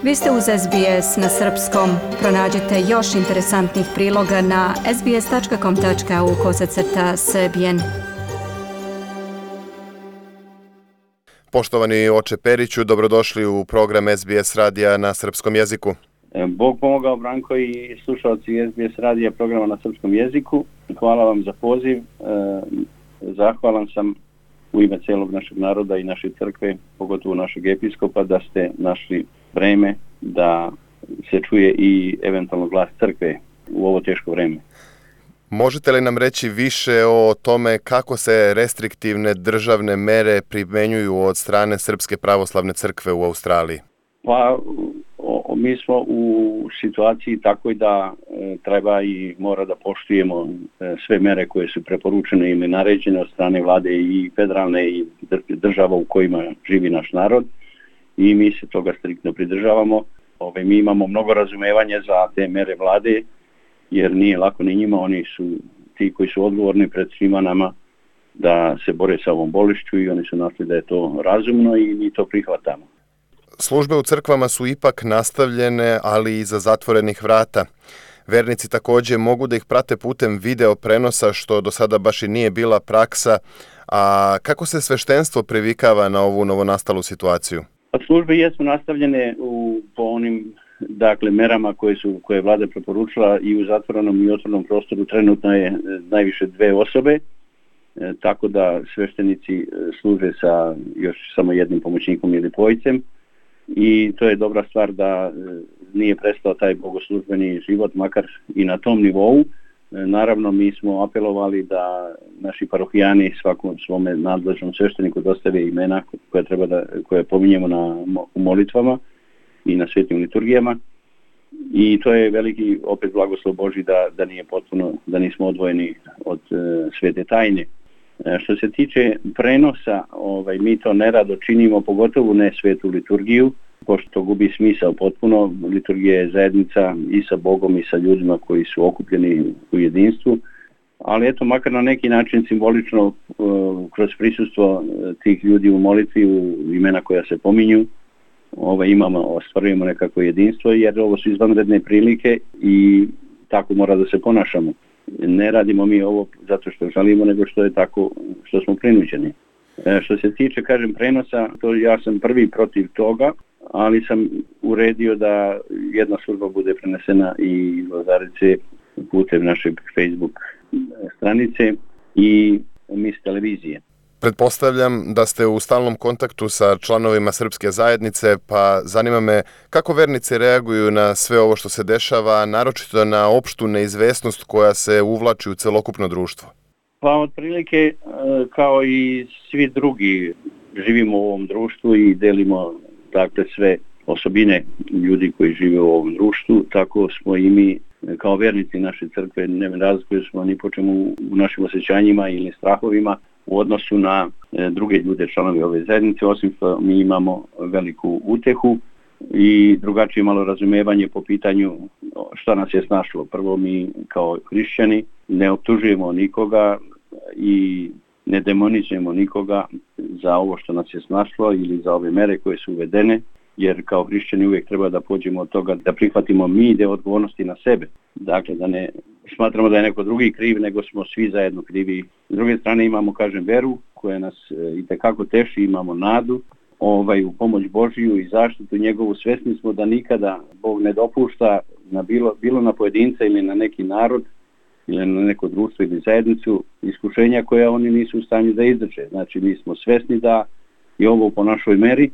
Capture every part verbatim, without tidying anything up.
Vi ste uz S B S na srpskom. Pronađite još interesantnih priloga na sbs.com.au kosacrta srbijen. Poštovani oče Periću, dobrodošli u program S B S radija na srpskom jeziku. Bog pomogao, Branko i slušalci S B S radija programa na srpskom jeziku. Hvala vam za poziv. Zahvalan sam u ime celog našeg naroda i naše crkve, pogotovo našeg episkopa, da ste našli vreme da se čuje i eventualno glas crkve u ovo teško vreme. Možete li nam reći više o tome kako se restriktivne državne mere primenjuju od strane Srpske pravoslavne crkve u Australiji? Pa, o, mi smo u situaciji takoj da e, treba i mora da poštujemo e, sve mere koje su preporučene ili naređene od strane vlade i federalne i država u kojima živi naš narod i mi se toga striktno pridržavamo. Ove, mi imamo mnogo razumevanja za te mere vlade, jer nije lako ni njima, oni su ti koji su odgovorni pred svima nama da se bore sa ovom bolešću i oni su našli da je to razumno i mi to prihvatamo. Službe u crkvama su ipak nastavljene, ali iza zatvorenih vrata. Vernici također mogu da ih prate putem video prenosa, što do sada baš i nije bila praksa. A kako se sveštenstvo privikava na ovu novonastalu situaciju? Službe jesu nastavljene u, po onim dakle, merama koje su koje je vlada preporučila i u zatvorenom i otvorenom prostoru trenutno je najviše dve osobe, e, tako da sveštenici služe sa još samo jednim pomoćnikom ili dvojicem i to je dobra stvar da e, nije prestao taj bogoslužbeni život, makar i na tom nivou. E, naravno, mi smo apelovali da naši parohijani svakom svome nadležnom svešteniku dostave imena koje treba da koje pominjemo na u molitvama i na svetim liturgijama i to je veliki opet blagoslov Božji da, da nije potpuno, da nismo odvojeni od e, svete tajne. E, što se tiče prenosa, ovaj, mi to nerado činimo, pogotovo ne svetu liturgiju, pošto to gubi smisao potpuno. Liturgija je zajednica i sa Bogom i sa ljudima koji su okupljeni u jedinstvu, ali eto, makar na neki način simbolično e, kroz prisustvo tih ljudi u molitvi, u imena koja se pominju, Ove, imamo, ostvarujemo nekako jedinstvo, jer ovo su izvanredne prilike i tako mora da se ponašamo. Ne radimo mi ovo zato što želimo, nego što je tako, što smo prinuđeni. E, što se tiče, kažem, prenosa, to ja sam prvi protiv toga, ali sam uredio da jedna služba bude prenesena i Lazarice putem našeg Facebook stranice i mis televizije. Pretpostavljam da ste u stalnom kontaktu sa članovima srpske zajednice, pa zanima me kako vernici reaguju na sve ovo što se dešava, naročito na opštu neizvesnost koja se uvlači u celokupno društvo. Pa otprilike kao i svi drugi živimo u ovom društvu i delimo dakle sve osobine ljudi koji žive u ovom društvu, tako smo i mi kao vernici naše crkve ne razlikuju smo ni po čemu u našim osjećanjima ili strahovima u odnosu na e, druge ljude, članovi ove zajednice, osim što mi imamo veliku utehu i drugačije malo razumevanje po pitanju šta nas je snašlo. Prvo, mi kao hrišćani ne optužujemo nikoga i ne demonizujemo nikoga za ovo što nas je snašlo ili za ove mere koje su uvedene, jer kao hrišćani uvijek treba da pođemo od toga da prihvatimo mi deo odgovornosti na sebe. Dakle, da ne smatramo da je neko drugi kriv, nego smo svi zajedno krivi. S druge strane imamo, kažem, veru koja nas e, itekako teši, imamo nadu ovaj, u pomoć Božiju i zaštitu njegovu. Svesni smo da nikada Bog ne dopušta na bilo, bilo na pojedinca ili na neki narod ili na neko društvo ili zajednicu iskušenja koja oni nisu u stanju da izdrže. Znači, mi smo svesni da je ovo po našoj meri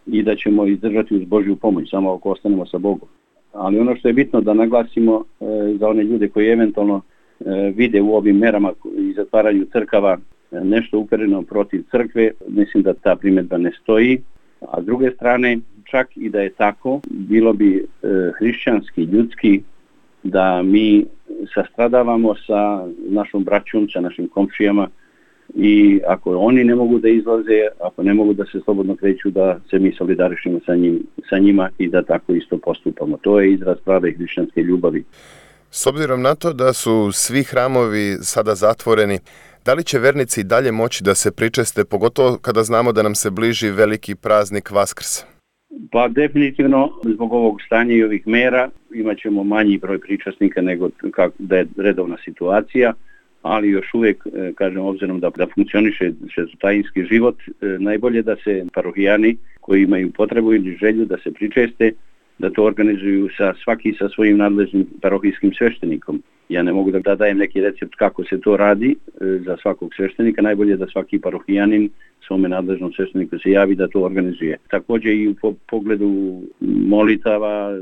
i da ćemo izdržati uz Božju pomoć, samo ako ostanemo sa Bogom. Ali ono što je bitno da naglasimo e, za one ljude koji eventualno e, vide u ovim merama i zatvaranju crkava e, nešto upereno protiv crkve, mislim da ta primjedba ne stoji. A s druge strane, čak i da je tako, bilo bi e, hrišćanski, ljudski, da mi sastradavamo sa našom braćom, sa našim komšijama i ako oni ne mogu da izlaze, ako ne mogu da se slobodno kreću, da se mi solidarišimo sa, njim, sa njima i da tako isto postupamo. To je izraz prave hrišćanske ljubavi. S obzirom na to da su svi hramovi sada zatvoreni, da li će vernici dalje moći da se pričeste, pogotovo kada znamo da nam se bliži veliki praznik Vaskrsa? Pa definitivno zbog ovog stanja i ovih mera imat ćemo manji broj pričasnika nego kako da je redovna situacija, ali još uvijek, kažem, obzirom da, da funkcioniše šestotajinski život, najbolje da se parohijani koji imaju potrebu ili želju da se pričeste, da to organizuju sa svaki sa svojim nadležnim parohijskim sveštenikom. Ja ne mogu da dajem neki recept kako se to radi za svakog sveštenika, najbolje da svaki parohijanin svome nadležnom svešteniku se javi da to organizuje. Također i u pogledu molitava,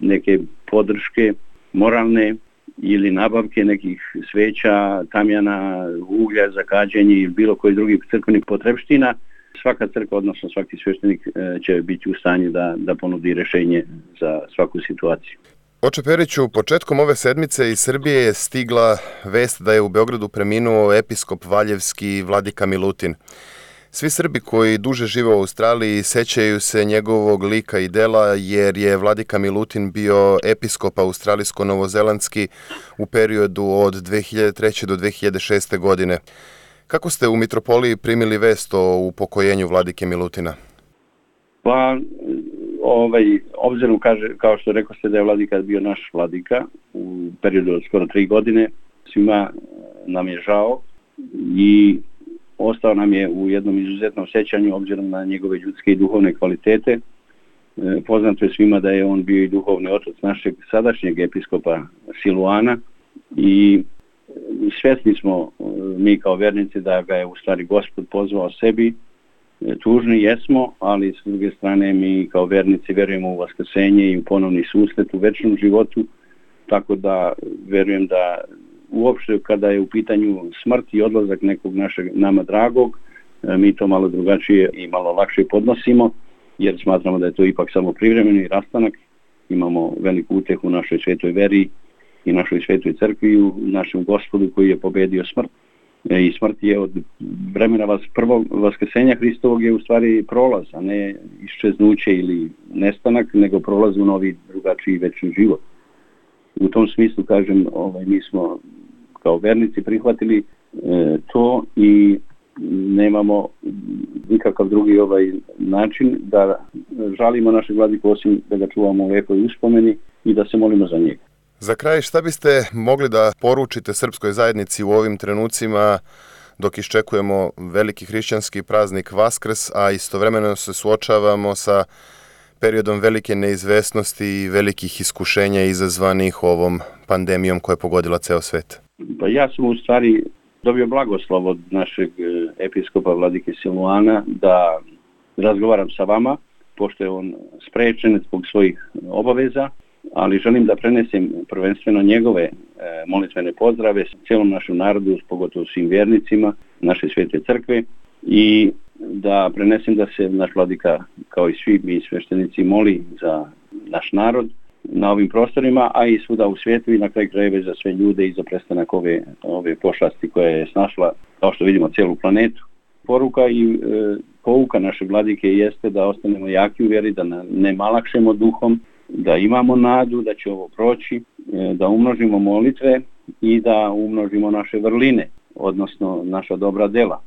neke podrške moralne ili nabavke nekih sveća, tamjana, uglja za kađenje ili bilo koji drugi crkvenih potrebština, svaka crkva, odnosno svaki sveštenik će biti u stanju da, da ponudi rješenje za svaku situaciju. Oče Periću, početkom ove sedmice iz Srbije je stigla vest da je u Beogradu preminuo episkop valjevski vladika Milutin. Svi Srbi koji duže žive u Australiji sećaju se njegovog lika i dela jer je vladika Milutin bio episkop australijsko-novozelandski u periodu od dve hiljade treće do dve hiljade šeste. godine. Kako ste u mitropoliji primili vest o upokojenju vladike Milutina? Pa, ovaj, obzirom, kaže, kao što rekao ste da je vladika bio naš vladika u periodu od skoro tri godine, svima nam je žao i ostao nam je u jednom izuzetnom sećanju obzirom na njegove ljudske i duhovne kvalitete. E, poznato je svima da je on bio i duhovni otac našeg sadašnjeg episkopa Siluana i svjesni smo mi kao vernici da ga je u stvari Gospod pozvao sebi. E, tužni jesmo, ali s druge strane mi kao vernici vjerujemo u vaskrsenje i u ponovni susret u večnom životu, tako da verujem da uopšte kada je u pitanju smrt i odlazak nekog našeg nama dragog, mi to malo drugačije i malo lakše podnosimo, jer smatramo da je to ipak samo privremeni rastanak. Imamo veliku utehu u našoj svetoj veri i našoj svetoj crkvi, u našem Gospodu koji je pobedio smrt. I smrt je od vremena vas, prvog vaskrsenja Hristovog je u stvari prolaz, a ne iščeznuće ili nestanak, nego prolaz u novi drugačiji večni život. U tom smislu, kažem, ovaj, mi smo kao vernici prihvatili e, to i nemamo nikakav drugi ovaj način da žalimo našeg vladiku osim da ga čuvamo u lijepoj uspomeni i da se molimo za njega. Za kraj, šta biste mogli da poručite srpskoj zajednici u ovim trenucima dok iščekujemo veliki hrišćanski praznik Vaskrs, a istovremeno se suočavamo sa periodom velike neizvesnosti i velikih iskušenja izazvanih ovom pandemijom koja je pogodila ceo svet? Pa ja sam u stvari dobio blagoslov od našeg episkopa vladike Siluana da razgovaram sa vama, pošto je on sprečen zbog svojih obaveza, ali želim da prenesem prvenstveno njegove molitvene pozdrave cijelom našem narodu, pogotovo svim vjernicima naše svete crkve, i da prenesem da se naš vladika, kao i svi mi sveštenici, moli za naš narod na ovim prostorima, a i svuda u svijetu i na kraj krajeva za sve ljude i za prestanak ove, ove pošasti koja je snašla, kao što vidimo, cijelu planetu. Poruka i e, pouka naše vladike jeste da ostanemo jaki u vjeri, da ne malakšemo duhom, da imamo nadu da će ovo proći, e, da umnožimo molitve i da umnožimo naše vrline, odnosno naša dobra dela.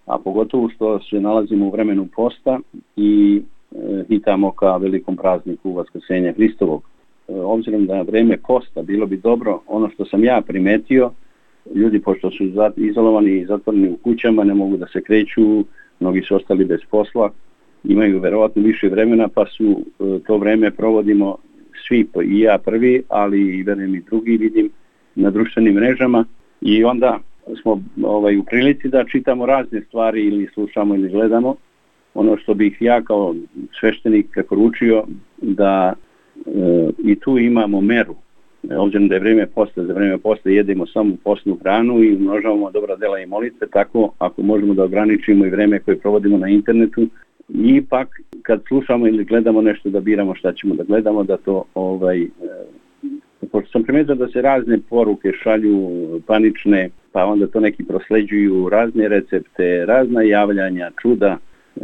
A pogotovo što se nalazimo u vremenu posta i e, hitamo ka velikom prazniku Vaskrsenja Hristovog. E, obzirom da je vreme posta, bilo bi dobro, ono što sam ja primetio, ljudi pošto su izolovani i zatvoreni u kućama, ne mogu da se kreću, mnogi su ostali bez posla, imaju verovatno više vremena, pa su e, to vreme provodimo svi, i ja prvi, ali i verujem i drugi, vidim na društvenim mrežama, i onda smo ovaj, u prilici da čitamo razne stvari ili slušamo ili gledamo. Ono što bih ja kao sveštenik preporučio da e, i tu imamo meru. E, obzirom da je vrijeme posta, za vrijeme posta jedemo samo postnu hranu i umnožavamo dobra dela i molitve, tako ako možemo da ograničimo i vrijeme koje provodimo na internetu, ipak kad slušamo ili gledamo nešto da biramo šta ćemo da gledamo, da to ovaj, e, pošto sam primetio da se razne poruke šalju panične, pa onda to neki prosleđuju razne recepte, razna javljanja, čuda, e,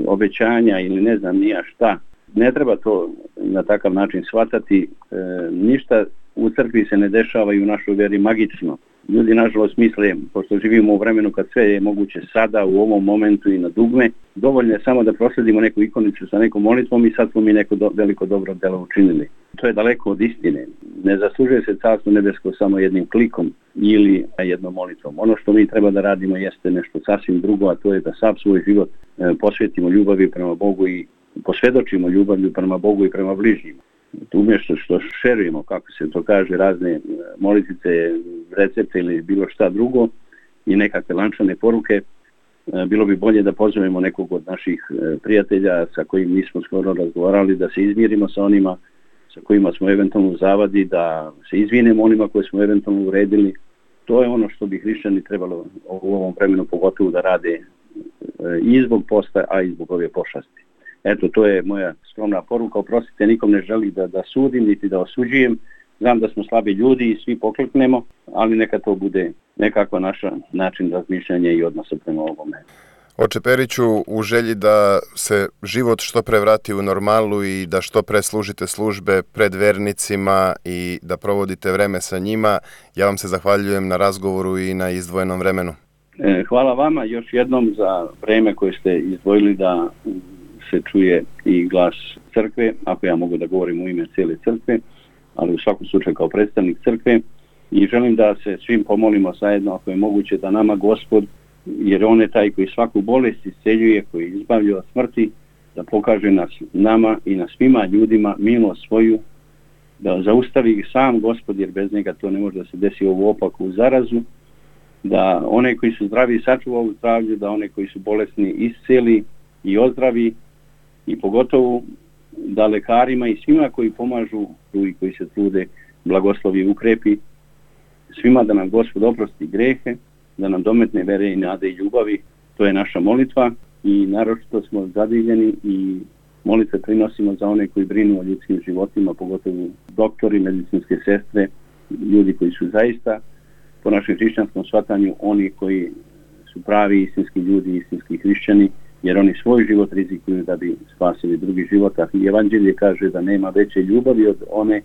obećanja ili ne znam nija šta. Ne treba to na takav način shvatati. E, ništa u crkvi se ne dešava i u našoj vjeri magično. Ljudi nažalost misle, pošto živimo u vremenu kad sve je moguće sada, u ovom momentu i na dugme, dovoljno je samo da prosledimo neku ikonicu sa nekom molitvom i sad smo mi neko do, veliko dobro delo učinili. To je daleko od istine. Ne zaslužuje se carstvo nebesko samo jednim klikom ili jednom molitvom. Ono što mi treba da radimo jeste nešto sasvim drugo, a to je da sav svoj život posvetimo ljubavi prema Bogu i posvjedočimo ljubavlju prema Bogu i prema bližnjima. Umjesto što šerujemo, kako se to kaže, razne molitice, recepte ili bilo šta drugo i nekakve lančane poruke, bilo bi bolje da pozovemo nekog od naših prijatelja sa kojim nismo skoro razgovarali, da se izmirimo sa onima sa kojima smo eventualno u zavadi, da se izvinemo onima koje smo eventualno uredili. To je ono što bi hrišćani trebalo u ovom vremenu pogotovo da rade i zbog posta, a i zbog ove pošasti. Eto, to je moja skromna poruka. Oprostite, nikom ne želim da, da sudim, niti da osuđujem. Znam da smo slabi ljudi i svi pokleknemo, ali neka to bude nekakva naša način razmišljanja i odnosa prema ovome. Oče Periću, u želji da se život što pre vrati u normalu i da što pre služite službe pred vernicima i da provodite vreme sa njima, ja vam se zahvaljujem na razgovoru i na izdvojenom vremenu. Hvala vama još jednom za vreme koje ste izdvojili da se čuje i glas crkve, ako ja mogu da govorim u ime cijele crkve, ali u svakom slučaju kao predstavnik crkve, i želim da se svim pomolimo zajedno, ako je moguće, da nama Gospod, jer on je taj koji svaku bolest isceljuje, koji izbavlja od smrti, da pokaže nas, nama i na svima ljudima milost svoju, da zaustavi sam Gospod, jer bez njega to ne može da se desi ovu opaku zarazu, da one koji su zdravi sačuva u zdravlju, da one koji su bolesni isceli i ozdravi, i pogotovo da lekarima i svima koji pomažu i koji se trude blagoslovi i ukrepi, svima da nam Gospod oprosti grehe, da nam dometne vere i nade i ljubavi. To je naša molitva i naročito smo zadivljeni i molitve prinosimo za one koji brinu o ljudskim životima, pogotovo doktori, medicinske sestre, ljudi koji su zaista po našem hrišćanskom shvatanju oni koji su pravi istinski ljudi, istinski hrišćani, jer oni svoj život rizikuju da bi spasili drugi život, a Evanđelje kaže da nema veće ljubavi od one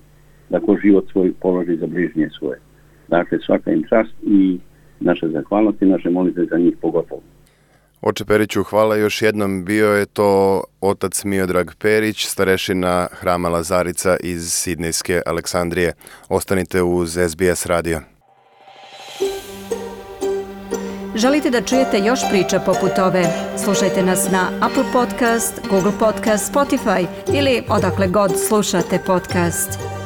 da ko život svoj položi za bližnje svoje. Dakle, svaka im čast i naša zahvalnost i naše molitve za njih pogotovo. Oče Periću, hvala još jednom. Bio je to otac Miodrag Perić, starešina Hrama Lazarica iz Sidnejske Aleksandrije. Ostanite uz S B S radio. Želite da čujete još priča poput ove? Slušajte nas na Apple Podcast, Google Podcast, Spotify ili odakle god slušate podcast.